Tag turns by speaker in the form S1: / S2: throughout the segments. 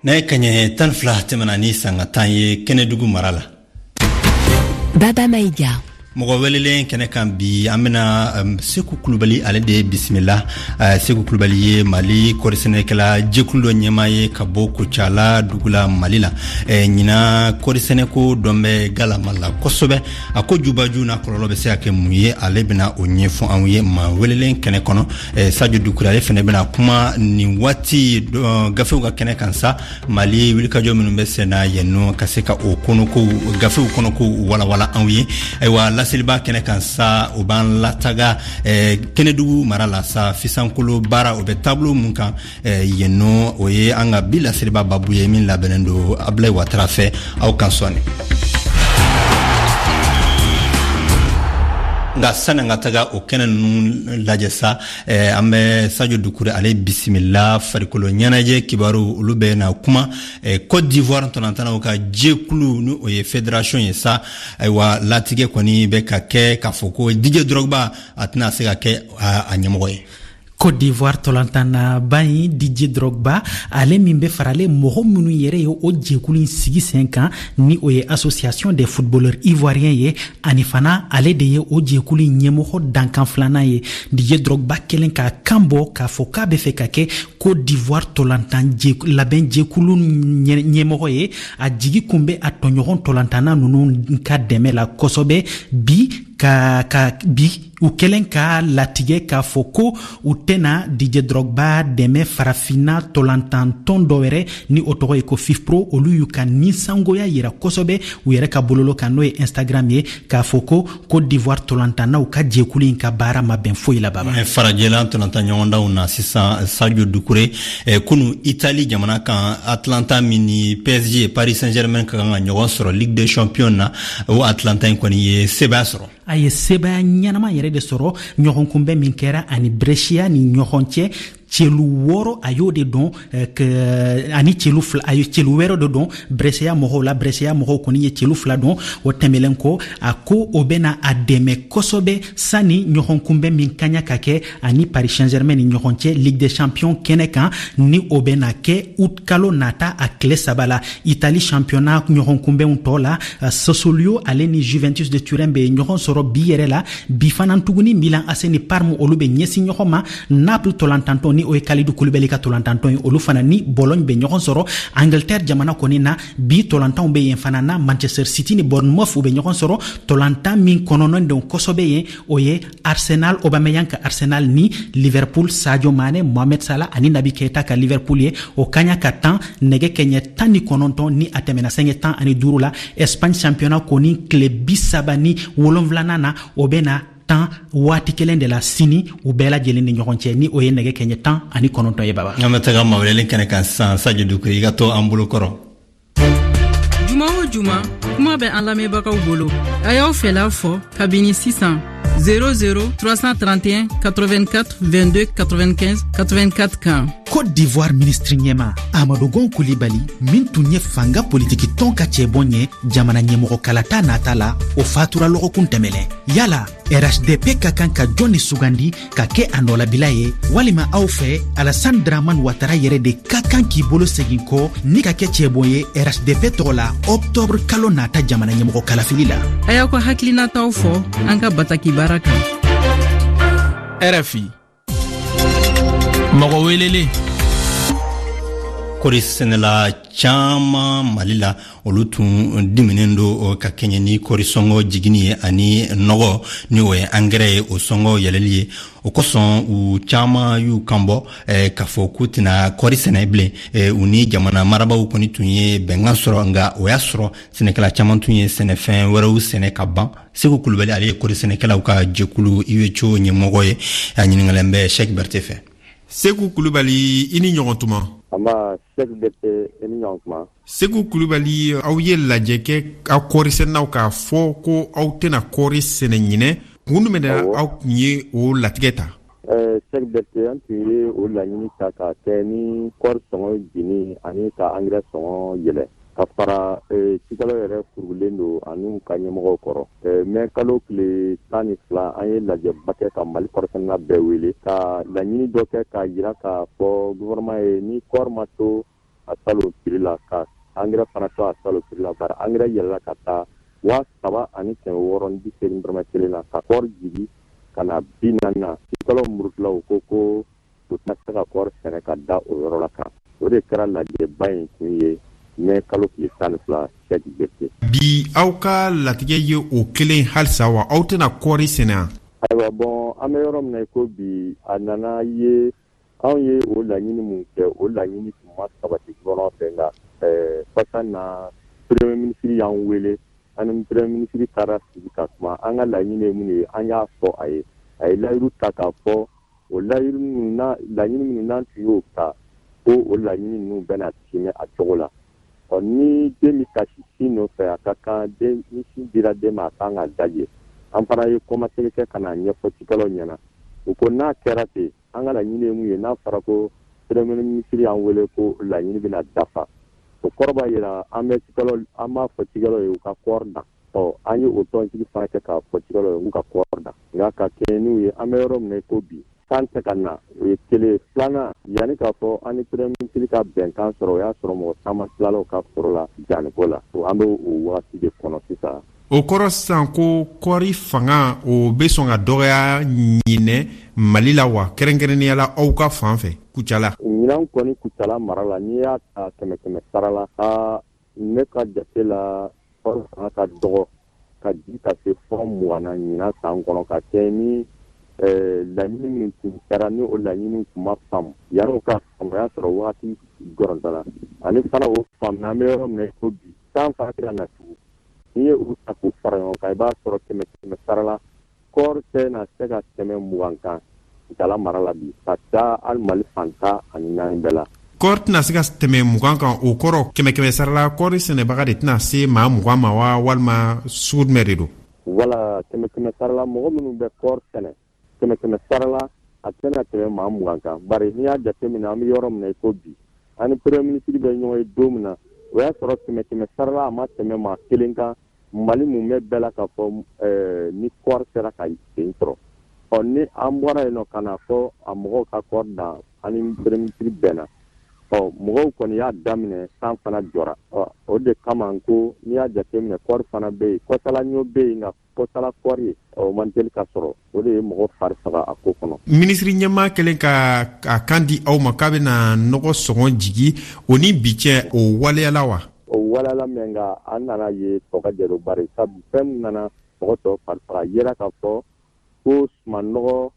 S1: Nɛgɛ kaɲɛ 12 tɛmɛna ni sanga 10 ye Kɛnɛdugu mara la.
S2: Baba Maïga.
S1: Mɔgɔ welelen kɛnɛ kan bi, an bena Seku Kulubali ale de bisimila. Seku Kulubali ye Mali kɔrisɛnɛkɛla jɛkulu dɔ ɲɛmaa ye ka bɔ Kocala dugu la Mali la. Ɲinan kɔrisɛnɛko dɔn bɛ galama la kosɛbɛ. A ko jubaju n'a kɔlɔlɔ bɛ se ka kɛ mun ye, ale bena o ɲɛfɔ anw ye maa welelen kɛnɛ kɔnɔ. Sajo Dukure ale fɛnɛ bena kuma nin waati gafew ka kɛnɛ kan sa, Mali wulikajɔ minnu bɛ senna yen nɔ, ka se ka o kɔnɔkow, gafew kɔnɔkow walawala anw ye. Ayiwa, laseliba kɛnɛ kan sa, o b'an lataga Kɛnɛdugu mara la sa, fisankolo baara o bɛ taabolo mun kan yen nɔ, o ye an ka bi laseliba babu ye min labɛnnen don Abulayi Watara fɛ. Aw kan sɔɔni. Nka sani an ka taga o kɛnɛ ninnu lajɛ sa, an bɛ Sajo Dukure ale bisimila. Farikolo ɲɛnajɛ kibaru, olu bɛ na kuma Côte d'Ivoire ntolantanaw ka jɛkulu, ni o ye fédération ye sa. Ayiwa, latigɛ kɔni bɛ ka kɛ k'a fɔ ko Didier Drogba a tɛna se ka kɛ a ɲɛmɔgɔ ye.
S3: Côte d'Ivoire tɔlantannaba in Didier Drogba, ale min bɛ faralen mɔgɔ minnu yɛrɛ ye o jɛkulu in sigi sen kan, ni o ye Association des footballeurs ivoiriens ye, ani fana ale de ye o jɛkulu in ɲɛmɔgɔ dankan filanan ye. Didier Drogba kɛlen k'a kan bɔ k'a fɔ k'a bɛ fɛ ka kɛ Côte d'Ivoire tɔlantan labɛn jɛkulu ɲɛmɔgɔ ye, a jigi kun bɛ a tɔɲɔgɔn tɔlantanna ninnu ka dɛmɛ la kosɛbɛ. Bi ka bi u kɛlen ka latigɛ k'a fɔ ko u tɛna Didier Drogba dɛmɛ, farafinna tɔlantantɔn dɔ wɛrɛ ni o tɔgɔ ye ko FIFPro, olu y'u ka ninsangoya yira kosɛbɛ u yɛrɛ ka bololo kan, n'o ye Instagram ye, k'a fɔ ko Côte d'Ivoire tɔlantannaw ka jɛkulu in ka baara ma bɛn foyi la. Baba.
S1: Farajɛla tɔlantan ɲɔgɔndanw na sisan, Sadio Dukure, kunu Italie jamana kan, Atlanta min ni PSG, Paris Saint-Germain ka kan ka ɲɔgɔn sɔrɔ Ligue des Champions na, o Atlanta in kɔni ye sebaya sɔrɔ.
S3: A ye sebaya ɲɛnama yɛrɛ de sɔrɔ ɲɔgɔnkunbɛn min kɛra ani Brescia ni ɲɔgɔn cɛ. Celu 6 a y'o de dɔn ani celu 2, a ye celu wɛrɛ de dɔn Brescia mɔgɔw la. Brescia mɔgɔw kɔni ye celu 2 dɔn. O tɛmɛlen kɔ, a ko o bɛna a dɛmɛ kosɛbɛ sani ɲɔgɔnkunbɛn min kaɲa ka kɛ ani Paris Saint-Germain ni ɲɔgɔn cɛ Ligue des Champions kɛnɛ kan, ni o bɛna kɛ août kalo nata a tile 3 la. Italie championnat ɲɔgɔnkunbɛnw tɔ la, Sassuolo ale ni Juventus de Turin bɛ ɲɔgɔn sɔrɔ bi yɛrɛ la. Bi fana tuguni, Milan AC ni Parme olu bɛ ɲɛsin ɲɔgɔn ma. Naples tɔlantantɔn, ni o ye Kalidou Koulibaly ka tɔlantantɔn ye, olu fana ni Bologne bɛ ɲɔgɔn sɔrɔ. Angleterre jamana kɔni na, bi tɔlantanw bɛ yen fana na, Manchester City ni Bournemouth u bɛ ɲɔgɔn sɔrɔ. Tɔlantan min kɔnɔnɔn don kosɛbɛ yen, o ye Arsenal, Aubameyang ka Arsenal ni Liverpool, Sadio Mane, Mohamed Salah ani Naby Keita ka Liverpool ye. O kaɲa ka tan nɛgɛ kɛɲɛ 19 ni a tɛmɛna sɛngɛ 15 la. Espagne championnat kɔni tile 37nan na, o bɛ na tan waati kelen de la sini u bɛɛ lajɛlen ni ɲɔgɔn cɛ, ni o ye nɛgɛ kɛɲɛ 19 ye. Baba.
S1: An bɛ taga maweleli kɛnɛ kan sisan. Sadio Dukure, i ka to an bolo kɔrɔ.
S4: Juma o juma, kuma bɛ an lamɛnbagaw bolo. A y'aw fɛla fɔ kabini sisan 00 331 84 22 95 84 kan.
S3: Côte d'Ivoire ministre ɲɛma Amadou Gon Coulibaly, min tun ye fanga politiki tɔn ka cɛbɔn ye jamana ɲɛmɔgɔ kalata nata la, o fatura lɔgɔkun tɛmɛlɛn. Yala RHDP ka kan ka jɔn ni sugandi ka kɛ a nɔlabila ye? Walima aw fɛ, Alassane Dramane Ouattara yɛrɛ de ka kan k'i bolo segin kɔ ni ka kɛ cɛbɔn ye RHDP tɔgɔ la octobre kalo nata jamana ɲɛmɔgɔ kalafili la?
S4: A y'aw ka hakilinataw fɔ an ka bataki baara kan.
S5: RFI, mɔgɔ welelen.
S1: Kɔri sɛnɛla caman Mali la, olu tun diminen don ka kɛɲɛ ni kɔri sɔngɔ jiginni ye ani nɔgɔ, ni o ye angɛrɛ ye, o sɔngɔ yɛlɛli ye. O kosɔn u caman y'u kanbɔ k'a fɔ k'u tɛna kɔri sɛnɛ bilen. U ni jamana marabaw kɔni tun ye bɛnkan sɔrɔ, nka o y'a sɔrɔ sɛnɛkɛla caman tun ye sɛnɛfɛn wɛrɛw sɛnɛ ka ban. Segu Kulubali, ale ye kɔri sɛnɛkɛlaw ka jɛkulu UECO ɲɛmɔgɔ ye. A ɲininkalen bɛ Sɛki Berete fɛ.
S5: Segu Kulubali, i ni ɲɔgɔn tuma.
S6: Anba, Sɛki Berete, i ni ɲɔgɔn tuma.
S5: Segu Kulubali, aw ye lajɛ kɛ aw kɔɔrisɛnɛnaw k'a fɔ ko aw tɛna kɔɔri sɛnɛ ɲinɛ. Kun jumɛn na aw tun ye o latigɛ ta?
S6: Sɛki Berete, an tun ye o laɲini ta ka kɛ ni kɔɔri sɔngɔ jigin ani ka angɛrɛ sɔngɔ yɛlɛ, ka fara cikɛlaw yɛrɛ furugulen don an'u ka ɲɛmɔgɔw kɔrɔ. Mɛ kalo tile 12, an ye lajɛba kɛ ka Mali kɔɔrisɛnɛna bɛɛ wele ka laɲini dɔ kɛ k'a jira k'a fɔ gouvernement ye ni kɔɔri ma to a salon prix. la, ka angɛrɛ fana to a salon prix la, bari angɛrɛ yɛlɛla ka taa 3680 dɔrɔmɛ kelen na, ka kɔɔri jigi ka na 40 na. Cikɛlaw murutila, u ko ko u tɛna se ka kɔɔri sɛnɛ ka da o yɔrɔ la kan. O de kɛra lajɛba in kun ye mɛ kalo tile 12, Sɛki Berete.
S5: Bi, aw ka latigɛ ye o kelen halisa wa? Aw tɛna kɔɔri sɛnɛ?
S6: Ayiwa, bɔn, an bɛ yɔrɔ min na i ko bi, a nana ye anw ye o laɲini mun kɛ, o laɲini tun ma sabati gouvernement fɛ. Nka kɔsa na, premier ministre y'an wele, an ni premier ministre taara sigi ka kuma. An ka laɲini ye mun ye, an y'a fɔ a ye. A ye layiru ta k'a fɔ o layiru minnu na, laɲini minnu n'an tun y'o ta, ko o laɲini ninnu bɛna timɛ a cogo la. Ɔ, ni den bɛ kasi sin nɔfɛ, a ka kan den, ni sin dira den ma, a kan ka daje. An fana ye kɔmasegin kɛ ka n'a ɲɛfɔ cikɛlaw ɲɛna. U ko n'a kɛra ten, an ka laɲini ye mun ye, n'a fɔra ko premier ministre y'an wele ko laɲini bɛna dafa, o kɔrɔ b'a jira an bɛ cikɛlaw, an b'a fɔ cikɛlaw ye u ka kɔɔri dan. Ɔ, an ye o tɔnsigi fana kɛ k'a fɔ cikɛlaw ye k'u ka kɔɔri dan. Nka ka kɛɲɛ n'u ye, an bɛ yɔrɔ min na i ko bi, san tɛ ka na, o ye kelen ye. Filanan, yanni k'a fɔ an ni premier ministre ka bɛnkan sɔrɔ, o y'a sɔrɔ mɔgɔ caman tilala u ka foro la danniko la. An bɛ o wagati de kɔnɔ sisan.
S5: O kɔrɔ sisan ko kɔɔri fanga, o bɛ sɔn ka dɔgɔya ɲinɛ Mali la wa, kɛrɛnkɛrɛnnenya la aw ka fan fɛ Kucala?
S6: Ɲinan kɔni, Kucala mara la, n'i y'a ta kɛmɛ kɛmɛ sara la, aa, ne ka jate la, kɔɔri fanga ka dɔgɔ ka ji ka se fɔ 20 na ɲinan san kɔnɔ, ka kɛ ni laɲini min tun kɛra, ni o laɲini tun ma faamu. Yanni o ka faamu, o y'a sɔrɔ wagati gɔrɔntɔla, ani fana o faamu, an bɛ yɔrɔ min na i ko bi, san fana tɛ ka na tugun. N'i ye u ta k'u fara ɲɔgɔn kan, i b'a sɔrɔ kɛmɛ kɛmɛ sara la, kɔɔri tɛ na se ka tɛmɛ 20 kan Kucala mara la bi, ka taa hali Mali fan 14 bɛɛ la.
S5: Kɔɔri tɛna se ka tɛmɛ 20 kan, o kɔrɔ kɛmɛ kɛmɛ sara la, kɔɔri sɛnɛbaga de tɛna se maa 20 ma wa, walima sugu jumɛn de don?
S6: Wala, kɛmɛ kɛmɛ sara la, mɔgɔ minnu bɛ kɔɔri sɛnɛ, kɛmɛ kɛmɛ sara la, a tɛna tɛmɛ maa 20 kan. Bari n'i y'a jateminɛ, an bɛ yɔrɔ min na i ko bi, an ni premier ministre bɛ ɲɔgɔn ye don min na, o y'a sɔrɔ kɛmɛ kɛmɛ sara la, a ma tɛmɛ maa kelen kan Mali mumɛ bɛɛ la k'a fɔ ni kɔɔri sera ka sen sɔrɔ. Ɔ, ni an bɔra yen nɔ ka na fɔ a mɔgɔw ka kɔɔri dan, an ni premier ministre bɛnna. Ɔ, mɔgɔw kɔni y'a daminɛ, san fana jɔra. Ɔ, o de kama ko n'i y'a jateminɛ, kɔɔri fana bɛ yen, kɔsala ɲɔ bɛ yen, nka kɔsala kɔɔri, o man teli ka sɔrɔ. O de ye mɔgɔ fari faga a ko kɔnɔ.
S5: Minisiri ɲɛmaa kɛlen ka a kan di aw ma k'a bɛna nɔgɔ sɔngɔ jigi, o ni bi cɛ, o waleyala wa?
S6: O waleyala mɛ, nka an nana ye tɔ ka jɛ don, bari sabu fɛn min nana mɔgɔ tɔ fari faga, yera k'a fɔ ko sumanɔgɔ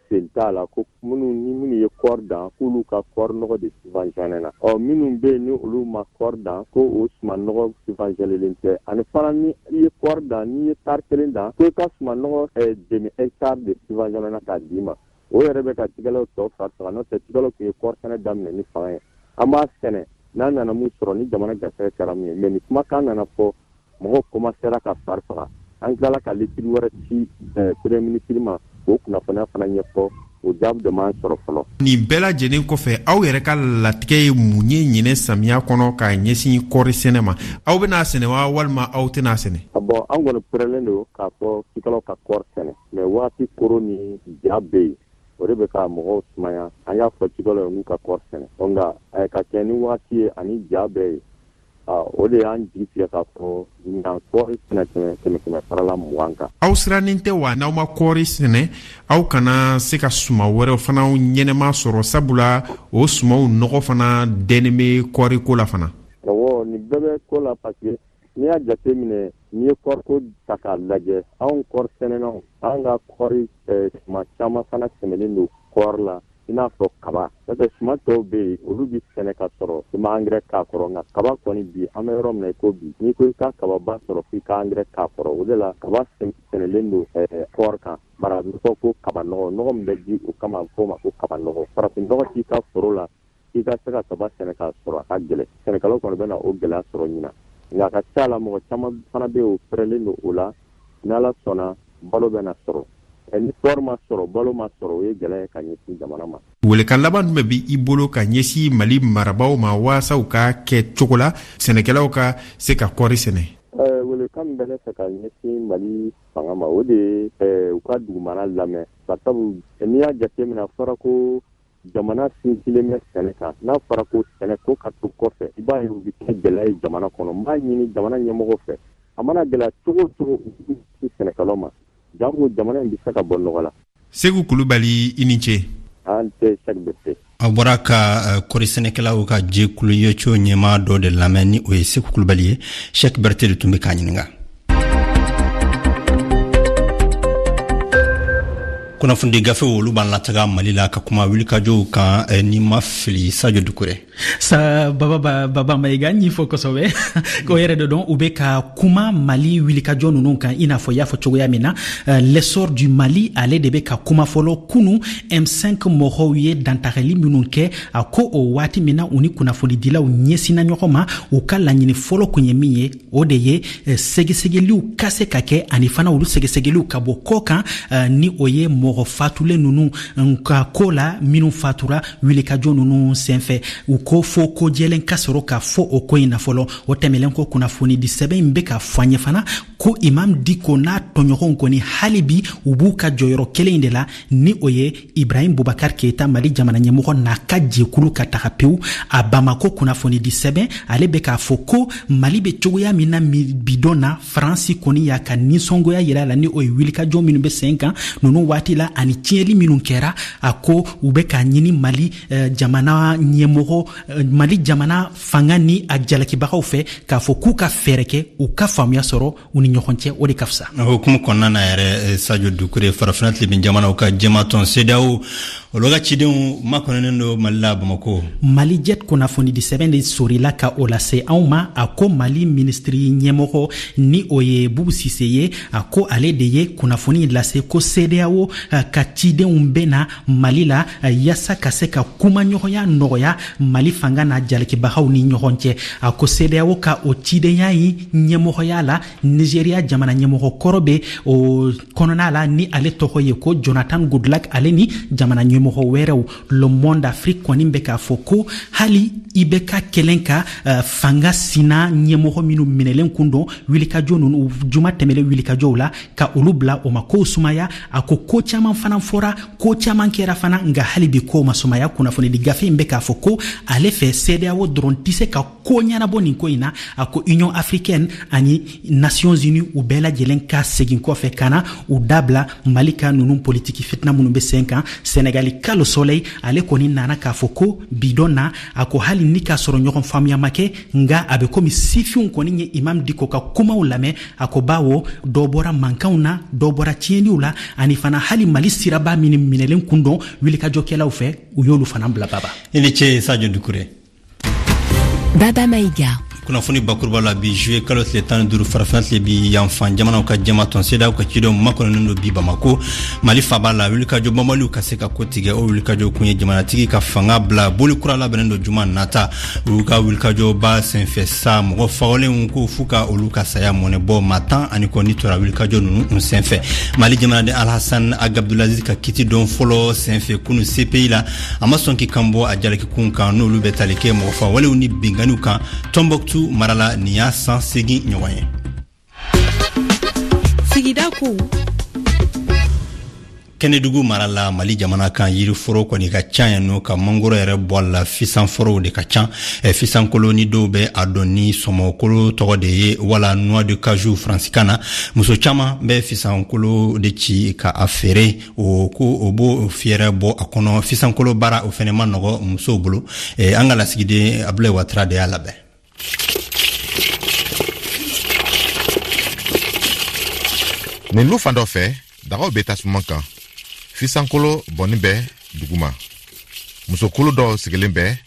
S6: sen t'a la, ko minnu ni minnu ye kɔɔri dan, k'olu ka kɔɔri nɔgɔ de subventionné na. Ɔ, minnu bɛ yen ni olu ma kɔɔri dan, ko o suman nɔgɔ subventionnélen tɛ. Ani fana, ni i ye kɔɔri dan, n'i ye tari kelen dan, ko i ka suman nɔgɔ demi hectare de subventionné na k'a d'i ma. O yɛrɛ bɛ ka cikɛlaw tɔ fari faga. N'o tɛ, cikɛlaw tun ye kɔɔri sɛnɛ daminɛ ni fanga ye, an b'a sɛnɛ, n'a nana mun sɔrɔ, ni jamana garisɛgɛ kɛra mun ye. Mais ni kumakan nana fɔ, mɔgɔw commencera ka fari faga. An tilala ka lettre wɛrɛ ci premier ministre ma k'o kunnafoniya fana ɲɛfɔ. O jaabi de m'an sɔrɔ fɔlɔ.
S5: Nin bɛɛ lajɛlen kɔfɛ, aw yɛrɛ ka latigɛ ye mun ye ɲinɛ samiya kɔnɔ ka ɲɛsin kɔɔri sɛnɛ ma? Aw bɛna sɛnɛ wa, walima aw tɛna sɛnɛ?
S6: Bɔn, an kɔni pɛrɛlen don k'a fɔ cikɛlaw ka kɔɔri sɛnɛ, mais waati koron ni ja bɛ yen, o de bɛ ka mɔgɔw sumaya. An y'a fɔ cikɛlaw ye k'u ka kɔɔri sɛnɛ, nka ka kɛ ni waati ye ani ja bɛ yen, o de y'an jigi tigɛ k'a fɔ ɲinan kɔɔri tɛna tɛmɛ kɛmɛ kɛmɛ sara la 20 kan.
S5: Aw sirannen tɛ wa, n'aw ma kɔɔri sɛnɛ, aw kana se ka suma wɛrɛw fana ɲɛnɛma sɔrɔ, sabula o sumaw nɔgɔ fana dɛnnen bɛ kɔɔri ko la fana?
S6: Awɔ, nin bɛɛ bɛ ko la, parce que n'i y'a jate minɛ, n'i ye kɔɔriko ta k'a lajɛ, anw kɔɔri sɛnɛnaw, an ka kɔɔri suma caman fana sɛmɛlen don kɔɔri la, i n'a fɔ kaba. N'o tɛ, suman tɔw bɛ yen, olu bɛ sɛnɛ ka sɔrɔ i ma angɛrɛ k'a kɔrɔ. Nka kaba kɔni, bi an bɛ yɔrɔ min na i ko bi, n'i ko i ka kababa sɔrɔ, f'i ka angɛrɛ k'a kɔrɔ. O de la kaba sɛnɛlen don kɔɔri kan, bari a bɛ fɔ ko kaba nɔgɔ, nɔgɔ min bɛ di o kama, a bɛ fɔ o ma ko kaba nɔgɔ. Farafin nɔgɔ t'i ka foro la k'i ka se ka kaba sɛnɛ k'a sɔrɔ, a ka gɛlɛn. Sɛnɛkɛlaw kɔni bɛna o gɛlɛya sɔrɔ ɲinan, nka a ka ca la, mɔgɔ caman fana bɛ yen, o pɛrɛlen don o la. N'Ala sɔnna, balo bɛna sɔrɔ. Ni kɔɔri ma sɔrɔ, balo ma sɔrɔ, o ye gɛlɛya ye ka ɲɛsin jamana ma.
S5: Welekan laban jumɛn bɛ i bolo ka ɲɛsin Mali marabaaw ma, waasa u ka kɛ cogo la sɛnɛkɛlaw ka se ka kɔɔri sɛnɛ?
S6: Welekan min bɛ ne fɛ ka ɲɛsin Mali fanga ma, o de ye u ka dugumana lamɛn, barisabu n'i y'a jateminɛ, a fɔra ko jamana sinsinlen bɛ sɛnɛ kan. N'a fɔra ko sɛnɛ ko ka to kɔfɛ, i b'a ye u bɛ kɛ gɛlɛya ye jamana kɔnɔ. N b'a ɲini jamana ɲɛmɔgɔw fɛ, a mana gɛlɛya cogo o cogo, u k'u ɲɛsin sɛnɛkɛlaw ma, janko jamana in bɛ se ka bɔ nɔgɔ la.
S5: Segu Kulubali, i ni ce.
S6: An tɛ Sɛki Berete.
S1: Aw bɔra ka kɔri sɛnɛkɛlaw ka jɛkulu YCO ɲɛmaa dɔ de lamɛn, ni o ye Seku Kulubali ye. Sɛki Berete de tun bɛ k'a ɲininka. Kunnafonidi gafew, olu b'an lataga Mali la ka kuma wulikajɔw kan, ni ma fili, Sajo Dukure.
S3: Sa Baba, Baba Mayiga, n y'i fo kosɛbɛ. O yɛrɛ de dɔn, u bɛ ka kuma Mali wulikajɔ ninnu kan, i n'a fɔ i y'a fɔ cogoya min na. L'Essor du Mali, ale de bɛ ka kuma fɔlɔ. Kunu, M5 mɔgɔw ye dantagali minnu kɛ, a ko o waati min na u ni kunnafonidilaw ɲɛsinna ɲɔgɔn ma, u ka laɲini fɔlɔ kun ye min ye, o de ye sɛgɛsɛgɛliw ka se ka kɛ, ani fana olu sɛgɛsɛgɛliw ka bɔ kɔ kan, ni o ye mɔgɔ fatulen ninnu ka ko la, minnu fatura wulikajɔ ninnu senfɛ. U ko fo ko jɛlen ka sɔrɔ ka fɔ o ko in na fɔlɔ. O tɛmɛlen kɔ, kunnafonidi sɛbɛn in bɛ ka fɔ an ye fana ko Imam Diko n'a tɔɲɔgɔnw kɔni, hali bi u b'u ka jɔyɔrɔ kelen in de la, ni o ye Ibrahim Bubakar Keita, Mali jamana ɲɛmɔgɔ n'a ka jɛkulu ka taga pewu. A Bamako kunnafonidi sɛbɛn, ale bɛ k'a fɔ ko Mali bɛ cogoya min na bidon na, Faransi kɔni y'a ka nisɔngoya yira la, ni o ye wulikajɔ minnu bɛ sen kan ninnu waati la ani tiɲɛli minnu kɛra. A ko u bɛ k'a ɲini Mali jamana ɲɛmɔgɔ, Mali jamana fanga ni a jalakibagaw fɛ, k'a fɔ k'u ka fɛɛrɛ kɛ u ka faamuya sɔrɔ u ni ɲɔgɔn cɛ, o de ka fisa.
S1: O hukumu kɔnɔna na yɛrɛ, Sajo Dukure, Farafina tilebin jamanaw ka jɛmatɔn CEDEAO, olu ka cidenw makɔnɔnen don Mali la, Bamako.
S3: Mali Jet kunnafonidi sɛbɛn de sorila ka o lase anw ma. A ko Mali minisiri ɲɛmɔgɔ, ni o ye Bubu Sise ye, a ko ale de ye kunnafoni lase ko CEDEAO ka cidenw bɛ na Mali la yaasa ka se ka kumaɲɔgɔnya nɔgɔya Mali fanga n'a jalakibagaw ni ɲɔgɔn cɛ. A ko CEDEAO ka o cidenya in ɲɛmɔgɔya la, Nigeria jamana ɲɛmɔgɔ kɔrɔ bɛ o kɔnɔna la, ni ale tɔgɔ ye ko Jonathan Goodluck, ale ni jamana ɲɛmɔgɔ wɛrɛw. Le Monde Afrique kɔni bɛ k'a fɔ ko hali IBK kɛlen ka fanga sina ɲɛmɔgɔ minnu minɛlen kun don wulikajɔ ninnu, juma tɛmɛlen wulikajɔw la, ka olu bila, o ma kow sumaya. A ko ko caman fana fɔra, ko caman kɛra fana, nka hali bi kow ma sumaya. Kunnafonidi gafe in bɛ k'a fɔ ko ale fɛ, CEDEAO dɔrɔn tɛ se ka ko ɲɛnabɔ nin ko in na. A ko Union africaine ani Nations unies, u bɛɛ lajɛlen ka segin kɔfɛ ka na u dabila Mali ka ninnu politiki fitina minnu bɛ sen kan. Senegali ka Le Soleil, ale kɔni nana k'a fɔ ko bidon na, a ko hali ni k'a sɔrɔ ɲɔgɔn faamuya ma kɛ, nka a bɛ komi sifinw kɔni ye Imam Diko ka kumaw lamɛn. A ko bawo dɔ bɔra mankanw na, dɔ bɔra tiɲɛniw la, ani fana hali Mali siraba minnu minɛlen kun don wulikajɔkɛlaw fɛ, u y'olu fana bila. Baba,
S1: i ni ce, Sajo Dukure.
S2: Baba Maïga.
S1: Kunnafoni bakuruba la bi, juillet kalo tile 15, Farafina tilebin yanfan jamanaw ka jɛmatɔn CEDEAO ka cidenw makɔnɔnen don bi Bamako, Mali faba la, wulikajɔ banbaliw ka se ka ko tigɛ. O wulikajɔ kun ye jamanatigi ka fanga bila. Boli kura labɛnnen don juma nata. Olu ka wulikajɔba senfɛ sa, mɔgɔ fagalenw ko f'u ka olu ka saya mɔnɛ bɔ. Maa 10 ni kɔ ni tora wulikajɔ ninnu senfɛ. Mali jamanaden Alhasan Ag Abdulaziz ka kiti don fɔlɔ senfɛ kunu CPI la, a ma sɔn k'i kan bɔ a jalakikun kan, n'olu bɛ tali kɛ mɔgɔfa walew ni binganiw kan Tɔnbɔkutu mara la. Nin y'a san 8 ɲɔgɔn ye.
S4: Sigida kow.
S1: Kɛnɛdugu mara la, Mali jamana kan, yiriforo kɔni ka ca yan nɔ, ka mangoro yɛrɛ bɔ a la, fisanforow de ka ca. Fisankolo ni dɔw bɛ a dɔn ni sɔmɔkolo tɔgɔ de ye, wala noix de cajou faransikan na. Muso caman bɛ fisankolo de ci ka a feere, o ko o b'o fiyɛrɛ bɔ a kɔnɔ. Fisankolo baara, o fɛnɛ ma nɔgɔ musow bolo. An ka lasigiden Abulayi Watara de y'a labɛn.
S7: Nin lu fan dɔ fɛ, dagaw bɛ tasuma kan, fisankolo bɔnni bɛ duguma. Musokulu dɔw sigilen bɛ,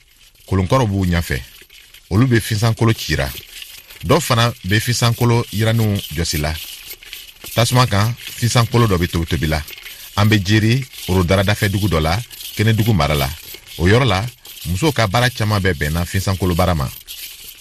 S7: kolonkɔrɔ b'u ɲɛfɛ, olu bɛ fisankolo cira. Dɔw fana bɛ fisankolo yiraninw jɔsi la tasuma kan. Fisankolo dɔ bɛ tobitobi la. An bɛ Jeri Orodara dafɛ dugu dɔ la, Kɛnɛdugu mara la. O yɔrɔ la, musow ka baara caman bɛ bɛnna fisankolo baara ma.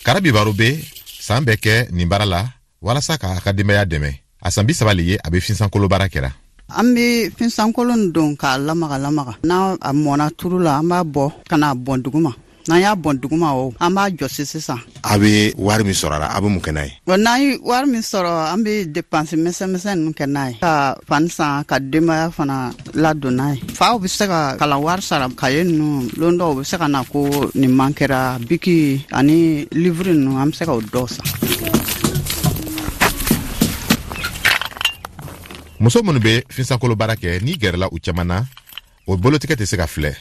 S7: Karabi Baro bɛ saan bɛɛ kɛ nin baara la walasa k'a ka denbaya dɛmɛ. A san 30 le ye a bɛ fisankolo baara kɛra.
S8: An be finsankolo nin don k'a lamaga lamaga. N'a a mɔna turu la, an b'a bɔ ka n'a bɔn duguma. N'an y'a bɔn duguma o, an b'a jɔsi sisan.
S7: A bɛ wari min sɔrɔ a la, a bɛ mun kɛ n'a ye?
S8: Bon, n'an ye wari min sɔrɔ, an bɛ dépense misɛn misɛn ninnu kɛ n'a ye, ka fani san, ka denbaya fana ladon n'a ye. Faw bɛ se ka kalan wari sara, kaye ninnu, lon dɔw bɛ se ka na ko nin man kɛra, biki ani livre ninnu, an bɛ se ka o dɔw san.
S7: Muso minnu bɛ finsankolo baara kɛ, n'i gɛrɛla u caman na, o bolotigɛ tɛ se ka filɛ.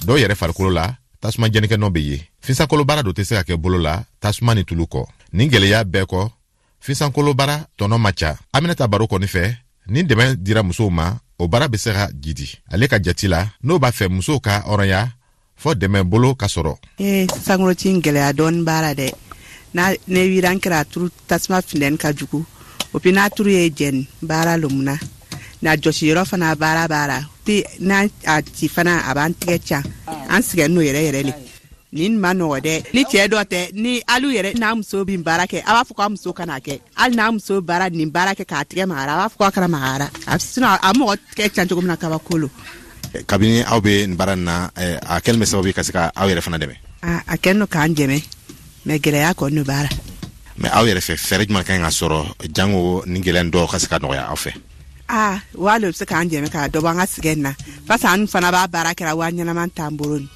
S7: Dɔw yɛrɛ farikolo la, tasuma jɛnikɛ nɔ bɛ ye. Finsankolo baara dɔ tɛ se ka kɛ bolo la tasuma ni tulu kɔ. Nin gɛlɛya bɛɛ kɔ, finsankolo baara tɔnɔ ma ca. Aminata Baro kɔni fɛ, ni dɛmɛ dira musow ma, o baara bɛ se ka jidi. Ale ka jati la, n'o b'a fɛ musow ka hɔrɔnya, fɔ dɛmɛ bolo ka sɔrɔ.
S9: Ee, sankolo ci gɛlɛya dɔɔni b'a la dɛ. N'a ne wiran kɛra turu, tasuma funteni ka jugu o puis n'a turu ye jɛni baara lomuna na jɔsi yɔrɔ fana baara b'a la ti n'a a ci fana a b'an tigɛ ca, an sigɛn n'o yɛrɛ yɛrɛ le. Nin ma nɔgɔ dɛ. Ni cɛɛ dɔ tɛ, ni alu yɛrɛ n'a muso bin baara kɛ, a b'a fɔ k'a muso kana kɛ. Hali n'a muso baara nin baara kɛ k'a tigɛ magara, a b'a fɔ k'a kana magara. A sinon a mɔgɔ tigɛ can cogo min na, kabako lo.
S7: Kabini aw bɛ nin baara nin na, a kɛlen bɛ sababu ye ka se ka aw yɛrɛ fana dɛmɛ?
S9: A kɛlen don k'an dɛmɛ, mais gɛlɛya kɔni b'a la.
S7: Mais aw yɛrɛ fɛ, fɛɛrɛ jumɛn ka ɲi ka sɔrɔ jango nin gɛlɛya dɔw ka se ka nɔgɔya aw fɛ?
S9: Aa, waa le bɛ se k'an dɛmɛ ka dɔ bɔ an ka sigɛ nin na, parce que an fana b'a baara kɛra, waa ɲɛnama t'an bolo nin.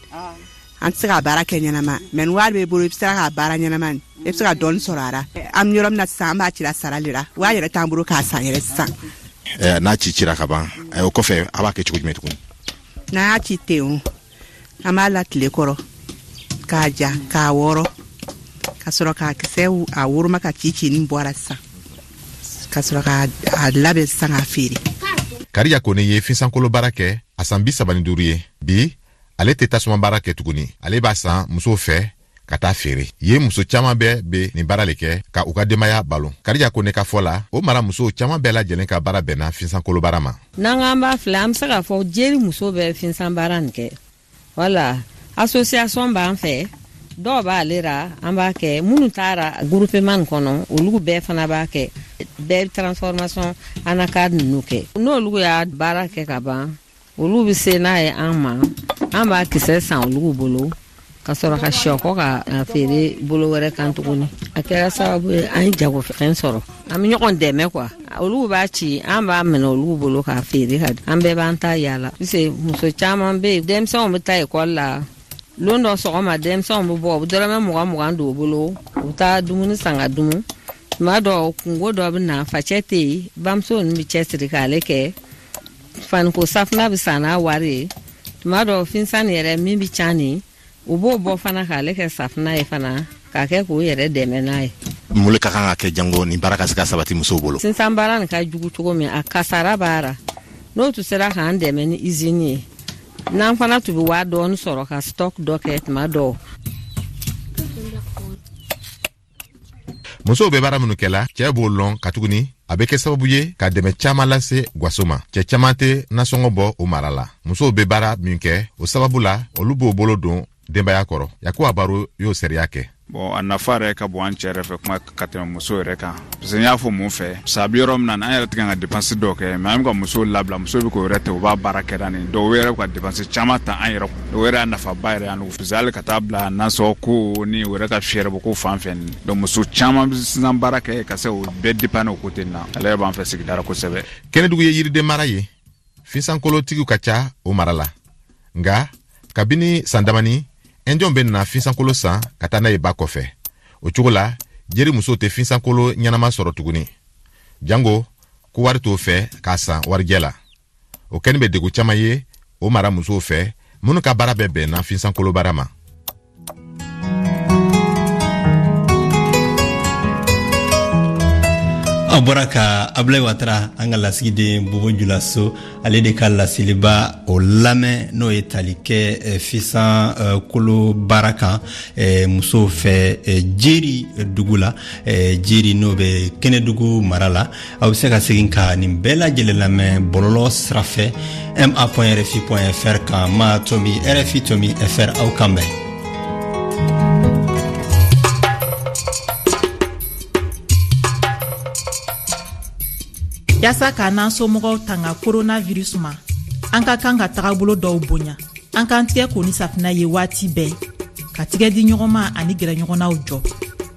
S9: An tɛ se ka baara kɛ ɲɛnama, mais ni wari b'e bolo, i bɛ se k'a baara ɲɛnama nin, i bɛ se ka dɔɔni sɔrɔ a la. An bɛ yɔrɔ min na sisan, an b'a cira sara le la, waa yɛrɛ t'an bolo k'a san yɛrɛ sisan.
S7: N'a ci cira ka ban, o kɔfɛ a b'a kɛ cogo jumɛn tuguni?
S9: N'an y'a ci ten o, an b'a la tile kɔrɔ k'a ja, k'a wɔrɔ, ka sɔrɔ k'a kisɛ a woroma ka ci ci nin bɔra sisan, ka sɔrɔ k'a labɛn sisan k'a feere.
S7: Kariya Kone ye finsankolo baara kɛ a san 35 ye bi. Ale tɛ tasuma baara kɛ tuguni, ale b'a san musow fɛ ka taa feere. Yen muso caman bɛɛ be nin baara le kɛ ka u ka denbaya balo. Kariya Kone ka fɔ la, o mara musow caman bɛɛ lajɛlen ka baara bɛnna finsankolo baara ma.
S10: N'an k'an b'a filɛ, an be se k'a fɔ jeri muso bɛ finsan baara nin kɛ. Wala association b'an fɛ, dɔw b'ale ra, an b'a kɛ. Minnu taara groupement nin kɔnɔ, olu bɛɛ fana b'a kɛ. Bɛɛ transformation anacarde ninnu kɛ. N'olu y'a baara kɛ ka ban, olu bɛ se n'a ye an ma, an b'a kisɛ san olu bolo ka sɔrɔ ka sɔkɔ ka feere bolo wɛrɛ kan tuguni. A kɛra sababu ye an ye jagofɛn sɔrɔ, an bɛ ɲɔgɔn dɛmɛ quoi. Olu b'a ci, an b'a minɛ olu bolo k'a feere ka an bɛɛ b'an ta yaala. Parce muso caman bɛ yen, denmisɛnw bɛ taa ekɔli la. Lon dɔ sɔgɔma, denmisɛnw bɛ bɔ, u bɛ dɔrɔmɛ 20 20 don u bolo, u bɛ taa dumuni san ka dumu. Tuma dɔ kungo dɔ bɛ na, facɛ tɛ yen, bamuso ninnu bɛ cɛsiri k'ale kɛ. Faniko safunɛ bɛ san n'a wari ye. Tuma dɔ finsan yɛrɛ min bɛ can nin, u b'o bɔ fana k'ale kɛ safunɛ ye fana, k'a kɛ k'u yɛrɛ dɛmɛ n'a ye.
S7: Mun le ka kan ka kɛ jango nin baara ka se ka sabati musow bolo?
S10: Sinsan baara nin ka jugu cogo min, a kasara b'a ra. N'o tun sera k'an dɛmɛ ni usine ye, n'an fana tun bɛ waa dɔɔni sɔrɔ ka stock dɔ kɛ tuma dɔw.
S7: Musow bɛ baara minnu kɛla, cɛɛ b'o lɔn, katuguni a bɛ kɛ sababu ye ka dɛmɛ caaman lase gwaso ma. Cɛɛ caaman tɛ nasɔngɔ bɔ o mara la. Musow bɛ baara min kɛ, o sababu la olu b'o bolo don denbaya kɔrɔ. Yakuba Baro y'o sariya kɛ.
S11: Bon, a nafa yɛrɛ ka bon an cɛ yɛrɛ fɛ kuma ka tɛmɛ muso yɛrɛ kan, parce que n y'a fɔ mun fɛ, parce que a bɛ yɔrɔ min na, an yɛrɛ tɛ kan ka dépense dɔw kɛ, mais an bɛ ka musow labila, musow bɛ k'o yɛrɛ ta, u b'a baara kɛ nin dɔw yɛrɛ bɛ ka dépense caman ta an yɛrɛ kun. O yɛrɛ y'a nafaba yɛrɛ y'an parce que hali ka taa bila nasɔngɔ ko ni o yɛrɛ ka fiyɛrɛ bɔ ko fan fɛ nin. Donc muso caman bɛ sisan baara kɛ ka se o bɛɛ dépanner o côté na. Ale yɛrɛ b'an fɛ sigida la kosɛbɛ.
S7: Kɛnɛdugu ye yiriden mara ye, finsankolotigiw ka ca o mara la. Nka kabini san damani, ɛnjɔn bɛ na finsankolo san ka taa n'a ye ba kɔfɛ. O cogo la jeri musow tɛ finsankolo ɲɛnama sɔrɔ tuguni, jango ko wari t'o fɛ k'a san warijɛ la. O kɛnin bɛ degun caman ye o mara musow fɛ minnu ka baara bɛɛ bɛnna finsankolo baara ma.
S1: An bɔra ka Abulayi Watara, an ka lasigiden Bobo Julaso, ale de ka laseliba o lamɛn, n'o ye tali kɛ fisan kolo baara kan musow fɛ Jeri dugu la, Jeri n'o bɛ Kɛnɛdugu mara la. Aw bɛ se ka segin ka nin bɛɛ lajɛlen lamɛn bɔlɔlɔ sira fɛ, ma point rfi point fr kan, ma tomi rfi tomi fr. Aw kan bɛn.
S12: Yaasa k'an n'an somɔgɔw tanga coronavirus ma, an ka kan ka tagabolo dɔw bonya. An k'an tigɛ ko ni safinɛ ye waati bɛɛ. Ka tigɛdiɲɔgɔnma ani gɛrɛɲɔgɔnnaw jɔ.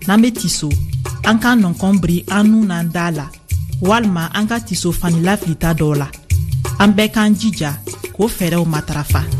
S12: N'an be tiso, an k'an nɔnkɔn biri an nun n'an da la, walima an ka tiso fani lafilita dɔw la. An bɛɛ k'an jija k'o fɛɛrɛw matarafa.